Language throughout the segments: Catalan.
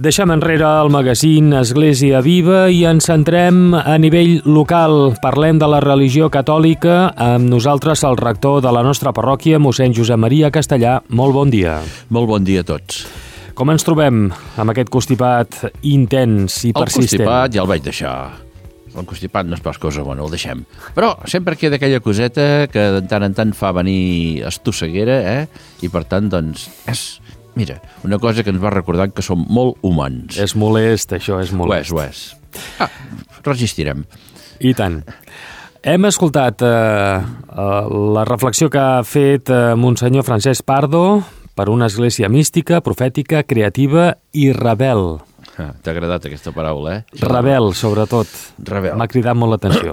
Deixem enrere el magazín Església Viva i ens centrem a nivell local. Parlem de la religió catòlica. Amb nosaltres el rector de la nostra parròquia, mossèn Josep Maria Castellà. Molt bon dia. Molt bon dia a tots. Com ens trobem amb aquest constipat intens i persistent? El constipat ja el vaig deixar. El constipat no és pas cosa bona, el deixem. Però sempre queda aquella coseta que de tant en tant fa venir estosseguera, I per tant, doncs, mira, una cosa que ens va recordant que som molt humans. És molest, això, és molest. Ho és. Resistirem. I tant. Hem escoltat la reflexió que ha fet Monsenyor Francesc Pardo per una església mística, profètica, creativa i rebel. T'ha agradat aquesta paraula, Rebel, sobretot. Rebel. M'ha cridat molt l'atenció.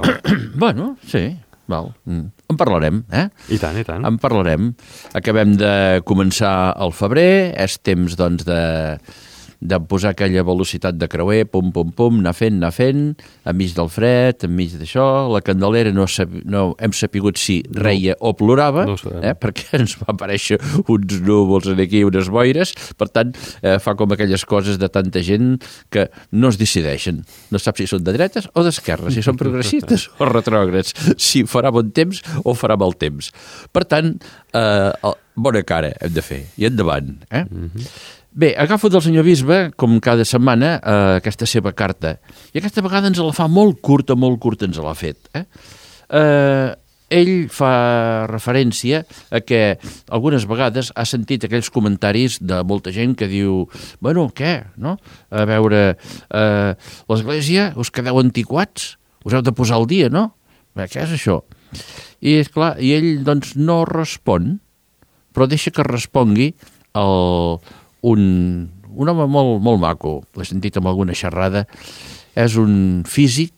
Bueno, sí. Val. En parlarem, I tant, i tant. En parlarem. Acabem de començar el febrer, és temps, doncs, de posar aquella velocitat de creuer, pum, pum, pum, anar fent, enmig del fred, enmig d'això. La Candelera no hem sapigut si reia o plorava, perquè ens va aparèixer uns núvols aquí, unes boires. Per tant, fa com aquelles coses de tanta gent que no es decideixen. No sap si són de dretes o d'esquerres, si són progressistes o retrògrads, si farà bon temps o farà mal temps. Per tant, bona cara hem de fer, i endavant, Bé, agafo del senyor bisbe, com cada setmana, aquesta seva carta. I aquesta vegada ens la fa molt curta ens l'ha fet. Ell fa referència a que algunes vegades ha sentit aquells comentaris de molta gent que diu, bueno, què, no? A veure, l'església us quedeu antiquats? Us heu de posar al dia, no? Què és això? I, esclar, i ell, doncs, no respon, però deixa que respongui un home molt maco, l'he sentit amb alguna xerrada, és un físic,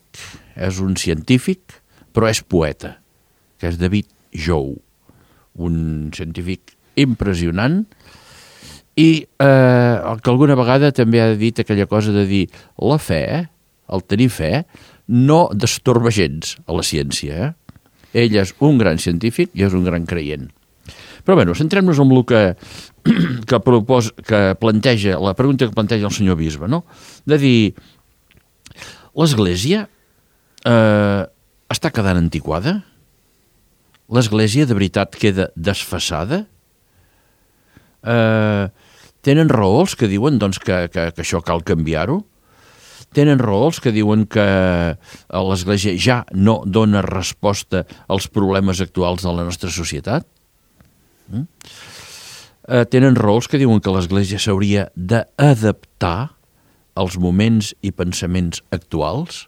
és un científic, però és poeta, que és David Jou, un científic impressionant, i que alguna vegada també ha dit aquella cosa de dir la fe, el tenir fe, no destorba gens a la ciència. Ell és un gran científic i és un gran creient. Però bé, centrem-nos en el que planteja, la pregunta que planteja el senyor bisbe, no? De dir, l'església està quedant antiquada? L'església de veritat queda desfasada? Tenen raó els que diuen doncs, que això cal canviar-ho? Tenen raó els que diuen que l'església ja no dona resposta als problemes actuals de la nostra societat? Tenen raó els que diuen que l'església s'hauria d'adaptar als moments i pensaments actuals?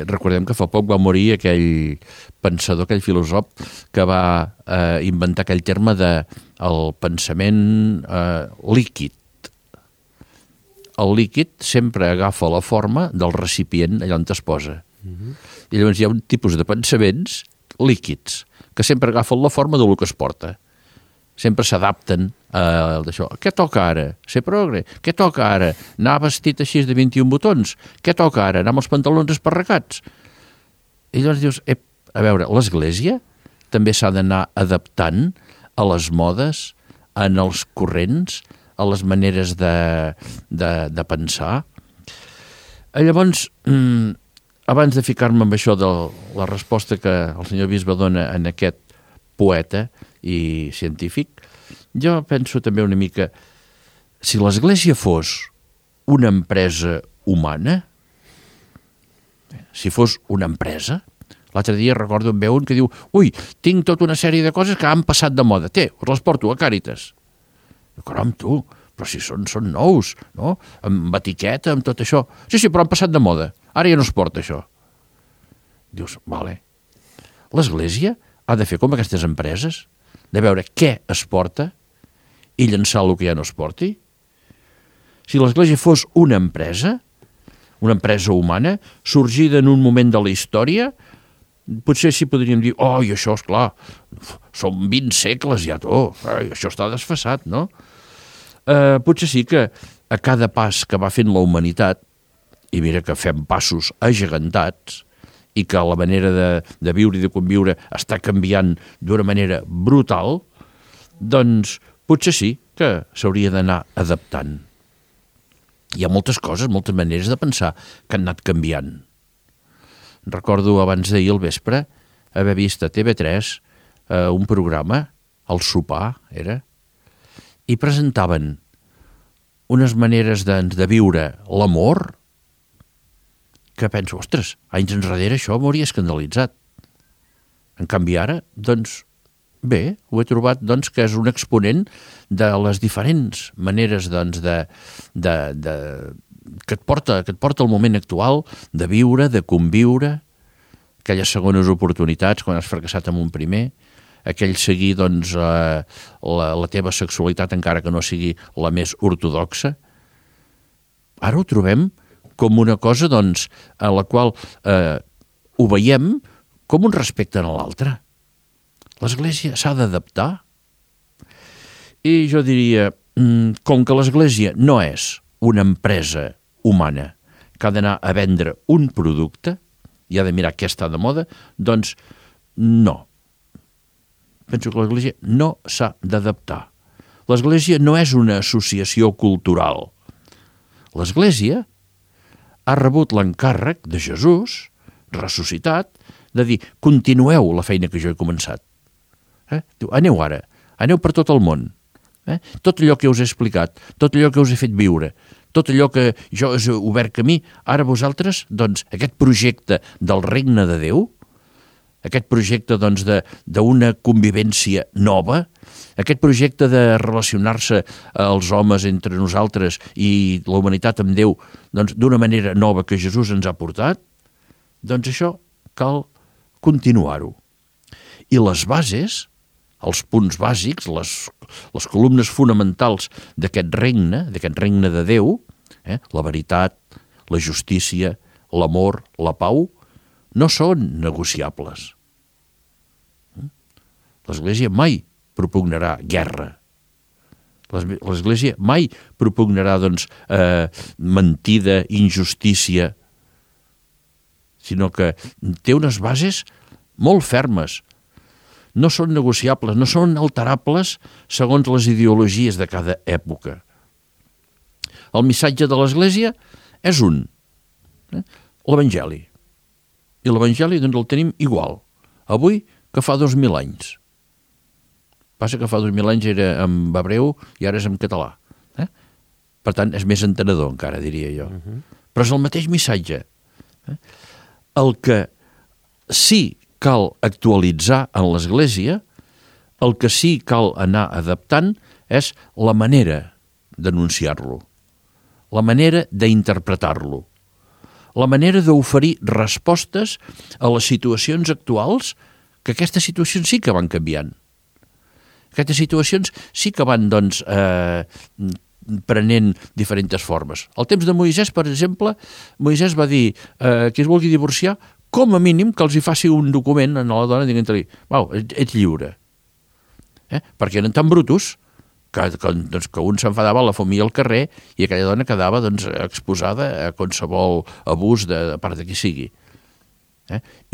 Recordem que fa poc va morir aquell pensador, aquell filòsof que va inventar aquell terme del pensament líquid. El líquid sempre agafa la forma del recipient allà on es posa. I llavors hi ha un tipus de pensaments líquids que sempre agafen la forma del que es porta. Sempre s'adapten a d'això. Què toca ara? Ser progre? Què toca ara? Anar vestit així de 21 botons? Què toca ara? Anar amb els pantalons esparracats? I llavors dius, a veure, l'església també s'ha d'anar adaptant a les modes, en els corrents, a les maneres de pensar. Llavors, abans de ficar-me amb això de la resposta que el senyor bisbe dona en aquest poeta i científic, jo penso també una mica, si l'església fos una empresa humana, si fos una empresa, l'altre dia recordo en veu un que diu, ui, tinc tota una sèrie de coses que han passat de moda, us les porto a Càritas. Caram, tu, però si són nous, no? Amb etiqueta, amb tot això. Sí, però han passat de moda. Ara ja no es porta això. Dius, vale. L'església ha de fer com aquestes empreses, de veure què es porta i llançar el que ja no es porti. Si l'església fos una empresa humana, sorgida en un moment de la història, potser sí podríem dir, i això, esclar, són 20 segles ja, això està desfasat, no? Potser sí que a cada pas que va fent la humanitat, i mira que fem passos agegantats, i que la manera de viure i de conviure està canviant d'una manera brutal, doncs potser sí que s'hauria d'anar adaptant. Hi ha moltes coses, moltes maneres de pensar que han anat canviant. Recordo abans d'ahir al vespre haver vist a TV3 un programa, El sopar era, i presentaven unes maneres de viure l'amor que penso, ostres, anys enrere això m'hauria escandalitzat. En canvi ara, doncs, bé, ho he trobat doncs, que és un exponent de les diferents maneres doncs, que et porta al moment actual de viure, de conviure, aquelles segones oportunitats quan has fracassat amb un primer, aquell seguir doncs, la teva sexualitat encara que no sigui la més ortodoxa. Ara ho trobem com una cosa doncs, en la qual ho veiem com un respecte a l'altre. L'Església s'ha d'adaptar i jo diria, com que l'Església no és una empresa humana que ha d'anar a vendre un producte i ha de mirar què està de moda, doncs no. Penso que l'Església no s'ha d'adaptar. L'Església no és una associació cultural. L'Església ha rebut l'encàrrec de Jesús, ressuscitat, de dir, continueu la feina que jo he començat. Diu, aneu ara, aneu per tot el món. Tot allò que us he explicat, tot allò que us he fet viure, tot allò que jo us he obert camí, ara vosaltres, doncs, aquest projecte del regne de Déu, aquest projecte doncs, d'una convivència nova, aquest projecte de relacionar-se els homes entre nosaltres i la humanitat amb Déu doncs, d'una manera nova que Jesús ens ha portat, doncs això cal continuar-ho. I les bases, els punts bàsics, les columnes fonamentals d'aquest regne de Déu, la veritat, la justícia, l'amor, la pau, no són negociables. L'Església mai propugnarà guerra. L'Església mai propugnarà doncs, mentida, injustícia, sinó que té unes bases molt fermes. No són negociables, no són alterables segons les ideologies de cada època. El missatge de l'Església és un, l'Evangeli. I l'Evangeli doncs, el tenim igual, avui que fa 2000 anys. Passa que fa 2000 anys era en hebreu i ara és en català. Per tant, és més entenedor encara, diria jo. Però és el mateix missatge. El que sí cal actualitzar en l'Església, el que sí cal anar adaptant és la manera d'anunciar-lo, la manera d'interpretar-lo, la manera d'oferir respostes a les situacions actuals, que aquestes situacions sí que van canviant. Aquestes situacions sí que van, doncs, prenent diferents formes. Al temps de Moisès, per exemple, Moisès va dir que es vulgui divorciar, com a mínim que els hi faci un document a la dona dient-li, ets lliure. Perquè eren tan brutos que un s'enfadava a la família al carrer i aquella dona quedava doncs, exposada a qualsevol abús de part de qui sigui.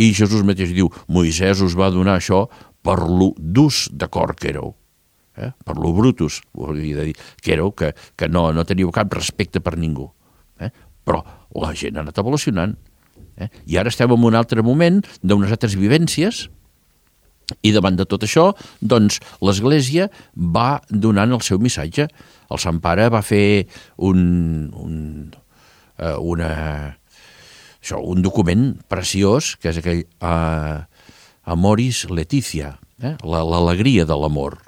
I Jesús mateix diu, Moisès us va donar això per lo durs de cor que éreu, per lo brutos, hauria de dir, que éreu, que no teníeu cap respecte per ningú. Però la gent ha anat evolucionant. I ara estem en un altre moment d'unes altres vivències i davant de tot això, doncs, l'Església va donant el seu missatge. El Sant Pare va fer un document preciós, que és aquell Amoris Laetitia, l'alegria de l'amor.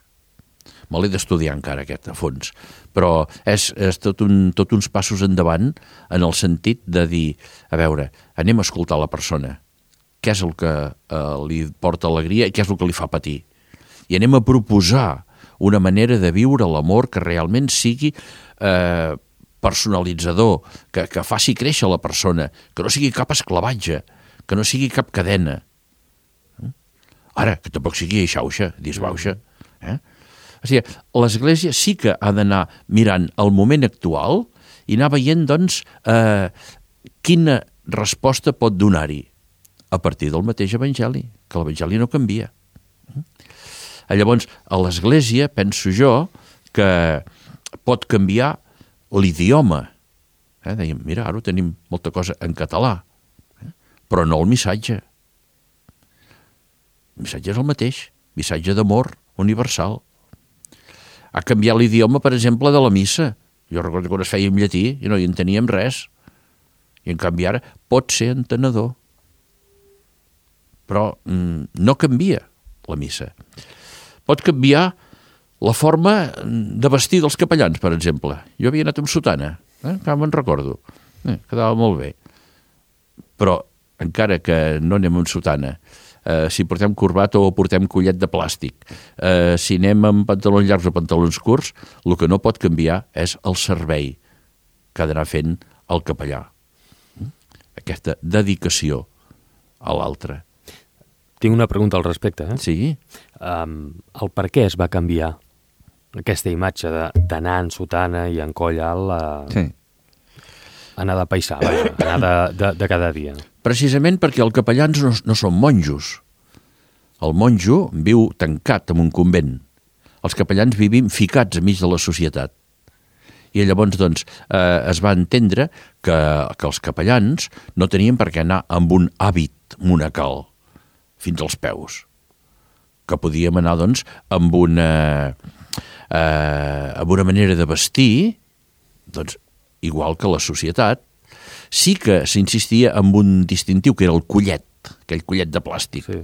Me l'he d'estudiar encara aquest a fons, però és tot uns passos endavant en el sentit de dir, a veure, anem a escoltar la persona, què és el que li porta alegria i què és el que li fa patir. I anem a proposar una manera de viure l'amor que realment sigui personalitzador, que faci créixer la persona, que no sigui cap esclavatge, que no sigui cap cadena. Ara, que tampoc sigui xauxa, disbauxa. O sigui, l'Església sí que ha d'anar mirant el moment actual i anar veient, doncs, quina resposta pot donar-hi a partir del mateix Evangeli, que l'Evangeli no canvia. Llavors, a l'Església, penso jo, que pot canviar l'idioma Dèiem, mira, ara tenim molta cosa en català, però no el missatge. El missatge és el mateix, missatge d'amor universal. Ha canviat l'idioma, per exemple, de la missa. Jo recordo quan es feia en llatí i no hi enteníem res. I en canvi ara pot ser entenedor. Però no canvia la missa. Pot canviar la forma de vestir dels capellans, per exemple. Jo havia anat amb sotana, que me'n recordo. Quedava molt bé. Però encara que no anem amb sotana, si portem corbata o portem collet de plàstic, si anem amb pantalons llargs o pantalons curts, el que no pot canviar és el servei que ha d'anar fent el capellà. Aquesta dedicació a l'altre. Tinc una pregunta al respecte. Sí? El per què es va canviar aquesta imatge d'anar en sotana i en coll alt Sí. anar de paisà, anar de cada dia? Precisament perquè els capellans no són monjos. El monjo viu tancat en un convent. Els capellans vivim ficats enmig de la societat. I llavors, doncs, es va entendre que els capellans no tenien per què anar amb un hàbit monacal fins als peus. Que podíem anar, doncs, amb una manera de vestir, doncs, igual que la societat. Sí que s'insistia en un distintiu, que era el collet, aquell collet de plàstic. Sí.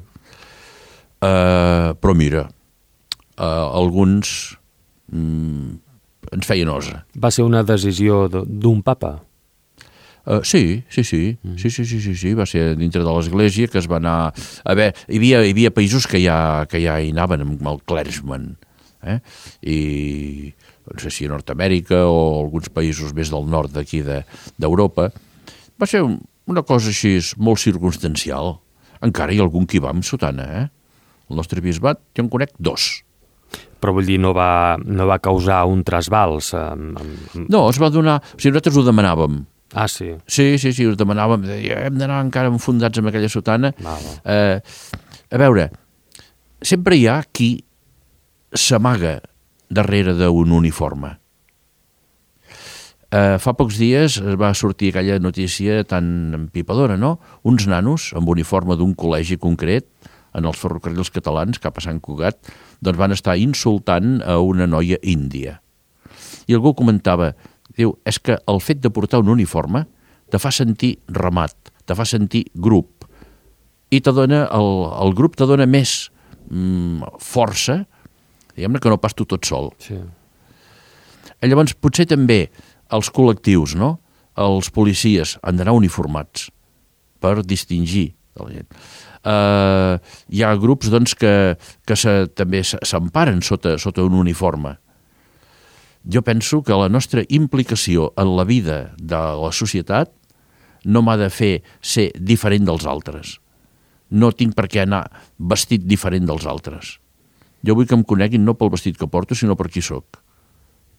Però mira, alguns ens feien osa. Va ser una decisió d'un papa? Sí. Va ser dintre de l'Església que es va anar... Hi havia països que ja hi anaven amb el clergyman, i no sé si a Nord-Amèrica o alguns països més del nord d'aquí d'Europa. Va ser una cosa així molt circumstancial. Encara hi ha algun que hi va amb sotana, El nostre bisbat, jo en conec 2. Però vull dir, no va causar un trasbals? No, es va donar... O sigui, nosaltres ho demanàvem. Ah, sí? Sí, ho demanàvem. Hem d'anar encara enfundats amb aquella sotana. A veure, sempre hi ha qui s'amaga darrere d'un uniforme. Fa pocs dies va sortir aquella notícia tan empipadora, no? Uns nanos amb uniforme d'un col·legi concret en els ferrocarrils catalans, cap a Sant Cugat, doncs van estar insultant a una noia índia. I algú comentava, diu, és que el fet de portar un uniforme te fa sentir ramat, te fa sentir grup, i el grup te dona més força, diguem-ne, que no pas tu tot sol. Sí. Llavors, potser també els col·lectius, no? Els policies han d'anar uniformats per distingir de la gent. Hi ha grups, doncs, que també s'emparen sota un uniforme. Jo penso que la nostra implicació en la vida de la societat no m'ha de fer ser diferent dels altres. No tinc per què anar vestit diferent dels altres. Jo vull que em coneguin no pel vestit que porto, sinó per qui sóc.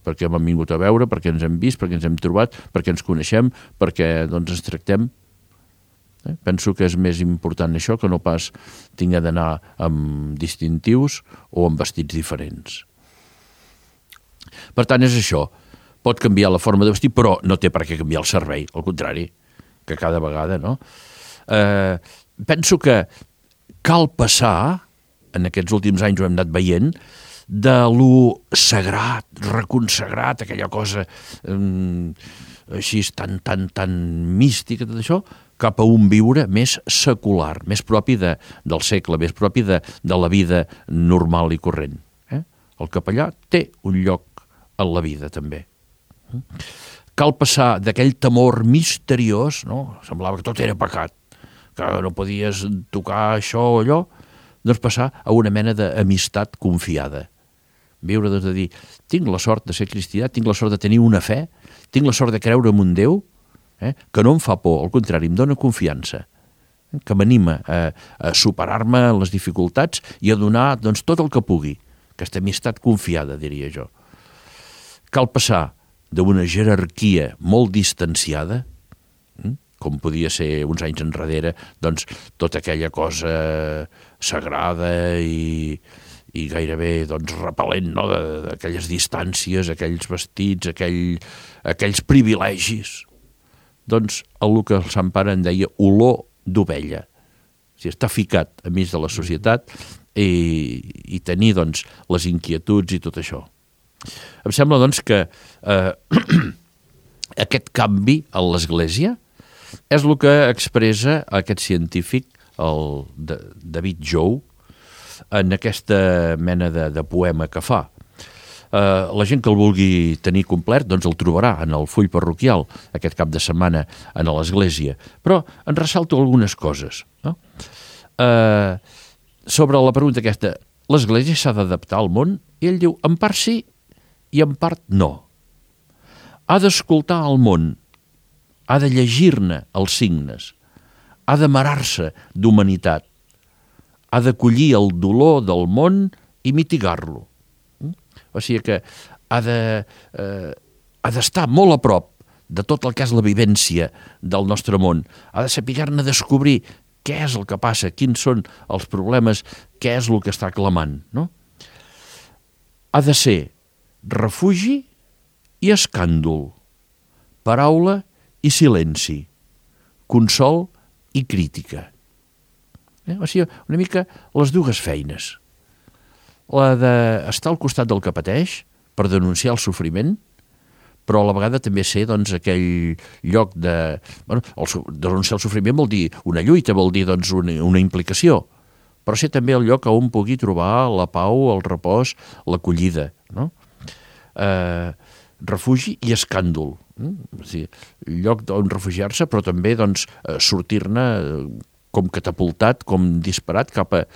Perquè m'han vingut a veure, perquè ens hem vist, perquè ens hem trobat, perquè ens coneixem, perquè doncs, ens tractem. Penso que és més important això que no pas tinc d'anar amb distintius o amb vestits diferents. Per tant, és això. Pot canviar la forma de vestir, però no té per què canviar el servei. Al contrari, que cada vegada, no? Penso que cal passar, en aquests últims anys ho hem anat veient, de lo sagrat, reconsagrat, aquella cosa així tan mística, tot això, cap a un viure més secular, més propi del segle, més propi de la vida normal i corrent. El capellà té un lloc en la vida, també. Cal passar d'aquell temor misteriós, no? Semblava que tot era pecat, que no podies tocar això o allò, doncs passar a una mena d'amistat confiada. Viure, doncs, de dir, tinc la sort de ser cristià, tinc la sort de tenir una fe, tinc la sort de creure en un Déu, que no em fa por, al contrari, em dona confiança, que m'anima a superar-me les dificultats i a donar, doncs, tot el que pugui. Aquesta amistat confiada, diria jo. Cal passar d'una jerarquia molt distanciada, com podia ser uns anys enrere, doncs, tota aquella cosa sagrada i gairebé doncs, repel·lent, no? D'aquelles distàncies, aquells vestits, aquells privilegis, doncs, el que el Sant Pare en deia olor d'ovella. O sigui, està ficat a mig de la societat i tenir, doncs, les inquietuds i tot això. Em sembla, doncs, que aquest canvi a l'Església és el que expressa aquest científic, el David Jou, en aquesta mena de poema que fa. La gent que el vulgui tenir complet doncs el trobarà en el full parroquial aquest cap de setmana a l'Església, però en ressalto algunes coses, no? Sobre la pregunta aquesta, l'Església s'ha d'adaptar al món? I ell diu, en part sí i en part no. Ha d'escoltar el món, ha de llegir-ne els signes, ha d'amarar-se d'humanitat, ha d'acollir el dolor del món i mitigar-lo. O sigui que ha d'estar molt a prop de tot el que és la vivència del nostre món. Ha de saber-ne descobrir què és el que passa, quins són els problemes, què és el que està clamant, no? Ha de ser refugi i escàndol, paraula i silenci, consol i crítica. O sigui, una mica les dues feines. La d'estar al costat del que pateix per denunciar el sofriment, però a la vegada també ser, doncs, aquell lloc de... Bueno, denunciar el sofriment vol dir una lluita, vol dir, doncs, una implicació, però ser també el lloc on pugui trobar la pau, el repòs, l'acollida, no? Refugi i escàndol. O sigui, lloc on refugiar-se, però també, doncs, sortir-ne com catapultat, com disparat cap a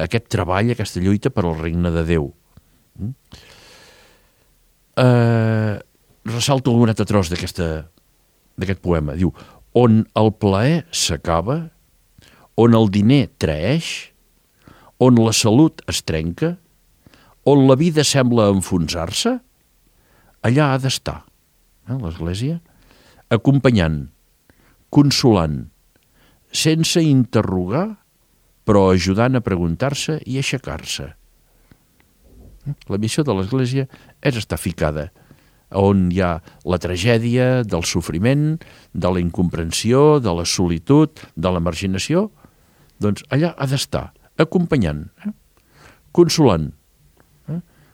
aquest treball, aquesta lluita per al regne de Déu. Ressalto un altre tros d'aquest poema. Diu, on el plaer s'acaba, on el diner traeix, on la salut es trenca, on la vida sembla enfonsar-se, allà ha d'estar, l'Església, acompanyant, consolant, sense interrogar, però ajudant a preguntar-se i aixecar-se. La missió de l'Església és estar ficada on hi ha la tragèdia del sofriment, de la incomprensió, de la solitud, de la marginació, doncs allà ha d'estar, acompanyant, consolant,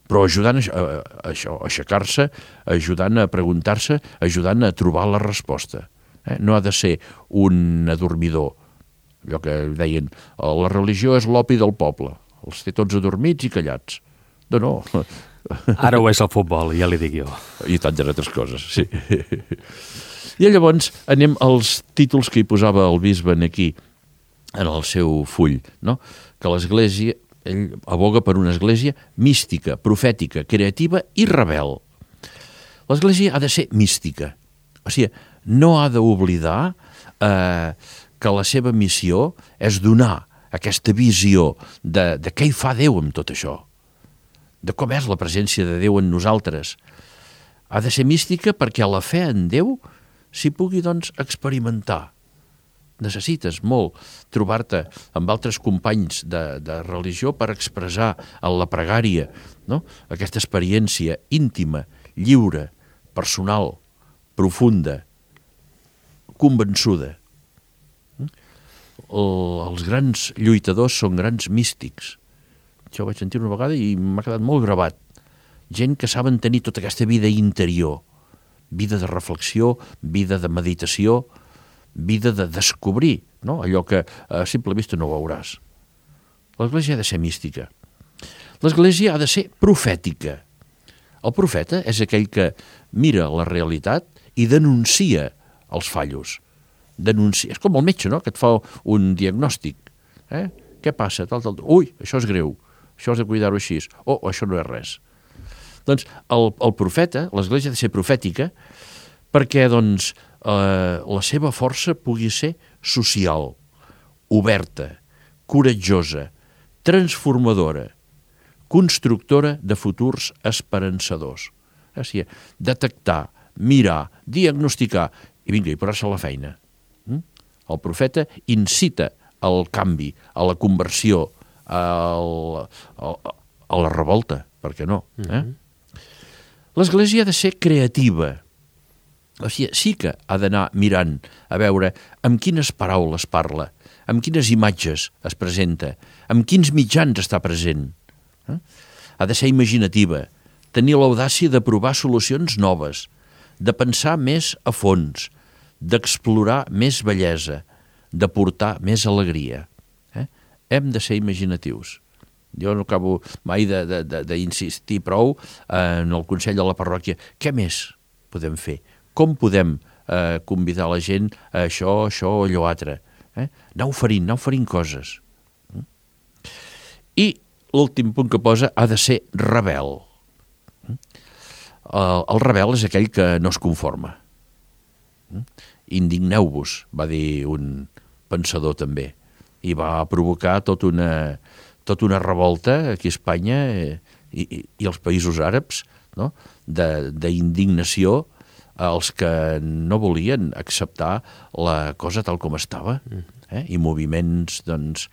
però ajudant a aixecar-se, ajudant a preguntar-se, ajudant a trobar la resposta. No ha de ser un adormidor. Allò que deien, la religió és l'opi del poble, els té tots adormits i callats. No. Ara ho és el futbol, ja li dic jo. I tantes altres coses, sí. I llavors anem als títols que hi posava el bisbe aquí, en el seu full, no? Que l'Església, ell aboga per una església mística, profètica, creativa i rebel. L'Església ha de ser mística. O sigui, no ha d'oblidar que la seva missió és donar aquesta visió de què hi fa Déu amb tot això, de com és la presència de Déu en nosaltres. Ha de ser mística perquè la fe en Déu s'hi pugui, doncs, experimentar. Necessites molt trobar-te amb altres companys de religió per expressar en la pregària, no? Aquesta experiència íntima, lliure, personal, profunda, convençuda. Els grans lluitadors són grans místics. Això ho vaig sentir una vegada i m'ha quedat molt gravat. Gent que saben tenir tota aquesta vida interior, vida de reflexió, vida de meditació, vida de descobrir, no? Allò que a simple vista no veuràs. L'Església ha de ser mística. L'Església ha de ser profètica. El profeta és aquell que mira la realitat i denuncia els fallos. És com el metge, no?, que et fa un diagnòstic. Què passa? Ui, això és greu, això has de cuidar-ho així. Això no és res. Doncs el profeta, l'Església ha de ser profètica perquè, doncs, la seva força pugui ser social, oberta, coratjosa, transformadora, constructora de futurs esperançadors. O sigui, detectar, mirar, diagnosticar i vinga, i posar-se a la feina. El profeta incita al canvi, a la conversió, a la revolta, per què no? L'Església ha de ser creativa. O sigui, sí que ha d'anar mirant a veure amb quines paraules parla, amb quines imatges es presenta, amb quins mitjans està present. Ha de ser imaginativa, tenir l'audàcia de provar solucions noves, de pensar més a fons, d'explorar més bellesa, de portar més alegria. Hem de ser imaginatius. Jo no acabo mai d'insistir prou en el Consell de la Parròquia. Què més podem fer? Com podem convidar la gent a això o allò altre? Anar oferint coses. I l'últim punt que posa ha de ser rebel. El rebel és aquell que no es conforma. Indigneu-vos, va dir un pensador també, i va provocar tota una revolta aquí a Espanya i als països àrabs, no? D'indignació als que no volien acceptar la cosa tal com estava, i moviments doncs,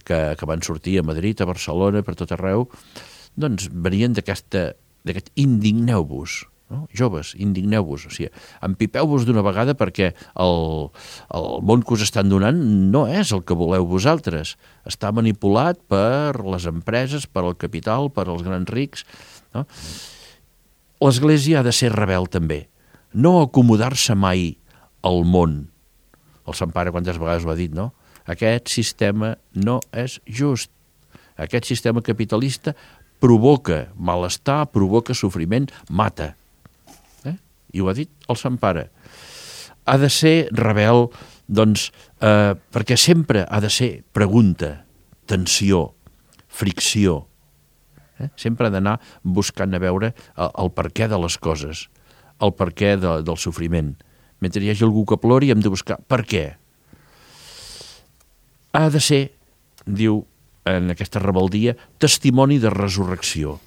que van sortir a Madrid, a Barcelona, per tot arreu, doncs venien d'aquest indigneu-vos, no? Joves, indigneu-vos, o sigui, empipeu-vos d'una vegada perquè el món que us estan donant no és el que voleu vosaltres, està manipulat per les empreses, per al capital, per als grans rics, no? L'Església ha de ser rebel també, no acomodar-se mai al món. El Sant Pare quantes vegades ho ha dit, no? Aquest sistema no és just, aquest sistema capitalista provoca malestar, provoca sofriment, mata. I ho ha dit el Sant Pare. Ha de ser rebel, doncs, perquè sempre ha de ser pregunta, tensió, fricció. Sempre ha d'anar buscant a veure el perquè de les coses, el perquè del sofriment. Mentre hi hagi algú que plori, hem de buscar per què. Ha de ser, diu en aquesta rebeldia, testimoni de resurrecció.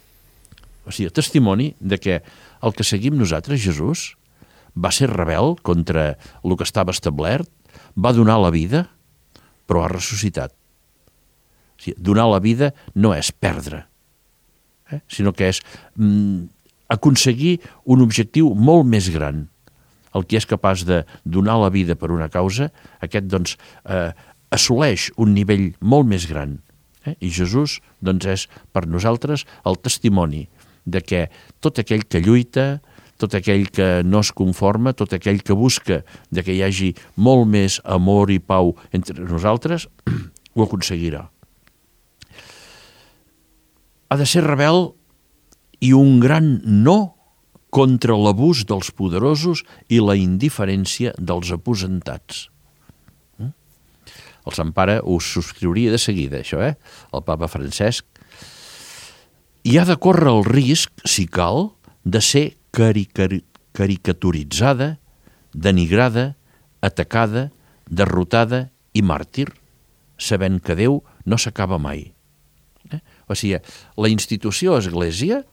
O sigui, testimoni de que el que seguim nosaltres, Jesús, va ser rebel contra el que estava establert, va donar la vida, però ha ressuscitat. O sigui, donar la vida no és perdre, sinó que és aconseguir un objectiu molt més gran. El que és capaç de donar la vida per una causa, aquest doncs assoleix un nivell molt més gran. I Jesús doncs és per nosaltres el testimoni de que tot aquell que lluita, tot aquell que no es conforma, tot aquell que busca de que hi hagi molt més amor i pau entre nosaltres, ho aconseguirà. Ha de ser rebel i un gran no contra l'abús dels poderosos i la indiferència dels aposentats. El Sant Pare ho subscriuria de seguida, això, el Papa Francesc. I ha de córrer el risc, si cal, de ser caricaturitzada, denigrada, atacada, derrotada i màrtir, sabent que Déu no s'acaba mai. O sigui, la institució Església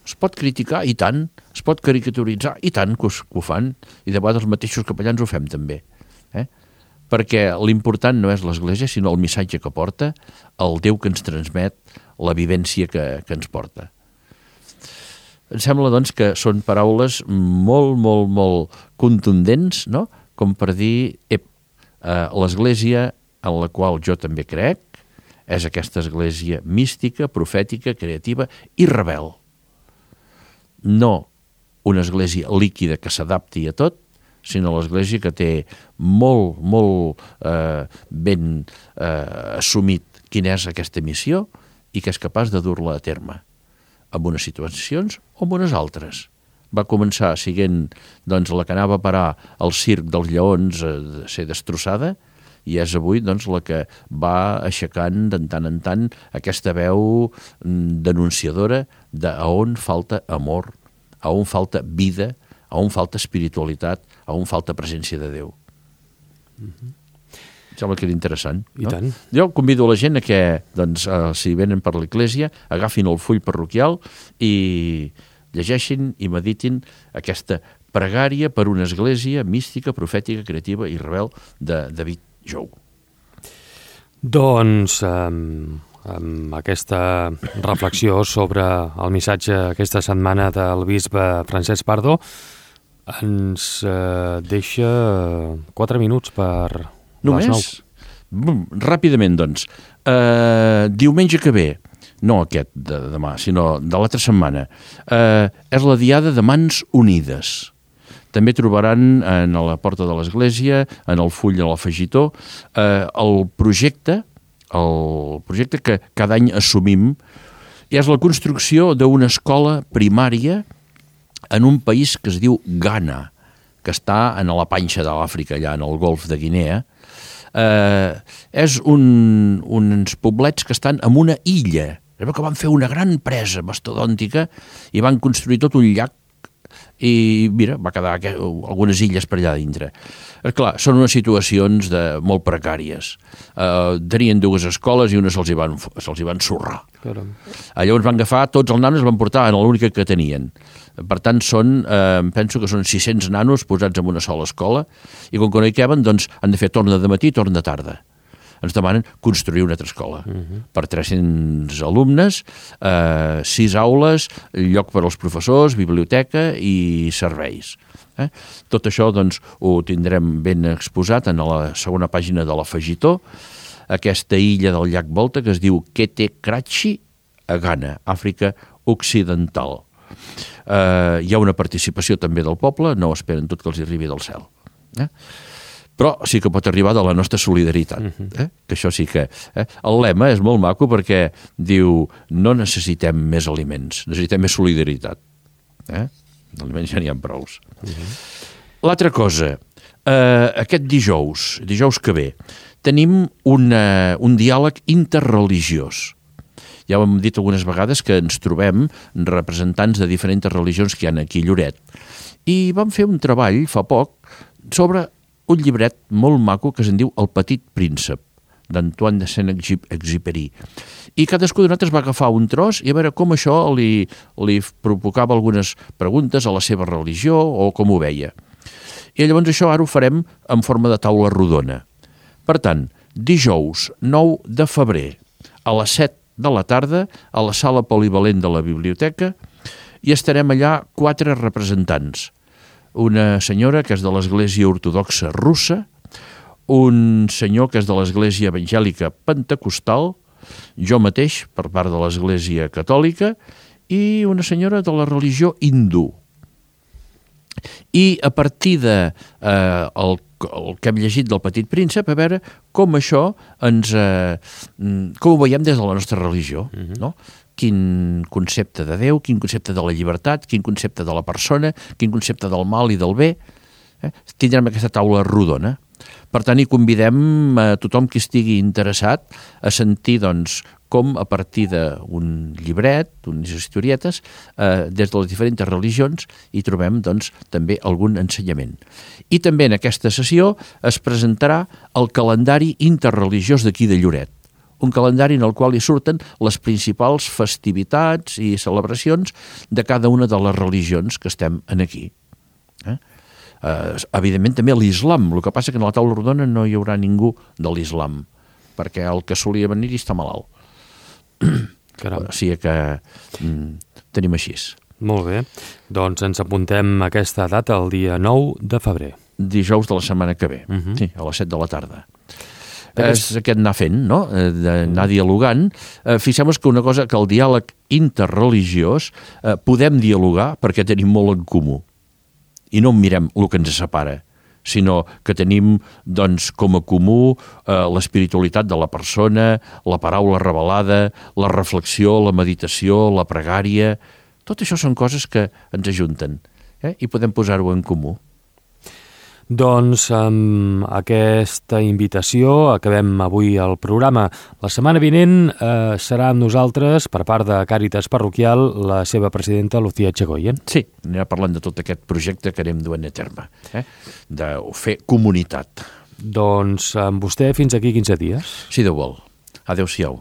es pot criticar, i tant, es pot caricaturitzar, i tant que ho fan, i de vegades els mateixos capellans ho fem també. Perquè l'important no és l'Església, sinó el missatge que porta, el Déu que ens transmet, la vivència que ens porta. Em sembla, doncs, que són paraules molt, molt, molt contundents, no? Com per dir, l'Església en la qual jo també crec és aquesta Església mística, profètica, creativa i rebel. No una Església líquida que s'adapti a tot, sinó l'Església que té molt, molt ben assumit quina és aquesta missió i que és capaç de dur-la a terme, en unes situacions o en unes altres. Va començar sent doncs, la que anava a parar al circ dels lleons a ser destrossada, i és avui doncs, la que va aixecant de tant en tant aquesta veu denunciadora a on falta amor, a on falta vida, a on falta espiritualitat, a on falta presència de Déu. Sembla que era interessant. No? I tant. Jo convido la gent a que, doncs, si venen per l'Església, agafin el full parroquial i llegeixin i meditin aquesta pregària per una Església mística, profètica, creativa i rebel de David Jou. Doncs amb aquesta reflexió sobre el missatge aquesta setmana del bisbe Francesc Pardo, Ens deixa 4 minuts per les 9. Ràpidament, doncs. Diumenge que ve, no aquest de demà, sinó de l'altra setmana, és la Diada de Mans Unides. També trobaran a la porta de l'església, en el full de l'afegitó, el projecte que cada any assumim, és la construcció d'una escola primària en un país que es diu Ghana, que està a la panxa de l'Àfrica, allà en el golf de Guinea. És uns poblets que estan en una illa. Es veu que van fer una gran presa mastodòntica i van construir tot un llac i mira, va quedar algunes illes per allà dintre. Clar, són unes situacions molt precàries. Tenien 2 escoles i una se'ls hi van sorrar. Caram. Llavors van agafar tots els nanos i els van portar en l'única que tenien. Per tant, penso que són 600 nanos posats en una sola escola i com que no hi caben, doncs han de fer torn de matí i torn de tarda. Ens demanen construir una altra escola per 300 alumnes, 6 aules, lloc per als professors, biblioteca i serveis. Tot això doncs, ho tindrem ben exposat en la segona pàgina de l'afegitó, aquesta illa del llac Volta que es diu Kete Krachi, a Ghana, Àfrica Occidental. Hi ha una participació també del poble, no esperen tot que els arribi del cel. Però sí que pot arribar de la nostra solidaritat, que això sí que... El lema és molt maco perquè diu no necessitem més aliments, necessitem més solidaritat. Aliments ja n'hi ha prous. L'altra cosa, aquest dijous que ve, tenim un diàleg interreligiós. Ja ho hem dit algunes vegades que ens trobem representants de diferents religions que hi ha aquí a Lloret. I vam fer un treball fa poc sobre un llibret molt maco que se'n diu El petit príncep, d'Antoine de Saint-Exupéry. I cadascú de nosaltres va agafar un tros i a veure com això li provocava algunes preguntes a la seva religió o com ho veia. I llavors això ara ho farem en forma de taula rodona. Per tant, dijous 9 de febrer a les 7 de la tarda a la sala polivalent de la biblioteca i estarem allà 4 representants. Una senyora que és de l'Església Ortodoxa Russa, un senyor que és de l'Església Evangèlica Pentecostal, jo mateix per part de l'Església Catòlica i una senyora de la religió hindú. I a partir de el que hem llegit del Petit Príncep, a veure com això com ho veiem des de la nostra religió, no? Quin concepte de Déu, quin concepte de la llibertat, quin concepte de la persona, quin concepte del mal i del bé. Tindrem aquesta taula rodona. Per tant, hi convidem a tothom que estigui interessat a sentir doncs, com a partir d'un llibret, d'unes historietes, des de les diferents religions, hi trobem doncs, també algun ensenyament. I també en aquesta sessió es presentarà el calendari interreligiós d'aquí de Lloret. Un calendari en el qual hi surten les principals festivitats i celebracions de cada una de les religions que estem aquí. Evidentment també l'islam, el que passa que en la taula rodona no hi haurà ningú de l'islam, perquè el que solia venir està malalt. O sigui que tenim així. Molt bé, doncs ens apuntem aquesta data el dia 9 de febrer. Dijous de la setmana que ve, sí, a les 7 de la tarda. És aquest anar fent, no? D'anar dialogant. Fixem-nos que una cosa, que el diàleg interreligiós podem dialogar perquè tenim molt en comú i no mirem el que ens separa, sinó que tenim doncs, com a comú l'espiritualitat de la persona, la paraula revelada, la reflexió, la meditació, la pregària. Tot això són coses que ens ajunten i podem posar-ho en comú. Doncs amb aquesta invitació acabem avui el programa. La setmana vinent serà amb nosaltres, per part de Càritas Parroquial, la seva presidenta Lucía Echegoyen. Sí, anirà parlant de tot aquest projecte que anem duent a terme, de fer comunitat. Doncs amb vostè fins aquí 15 dies. Si Déu vol. Adéu-siau.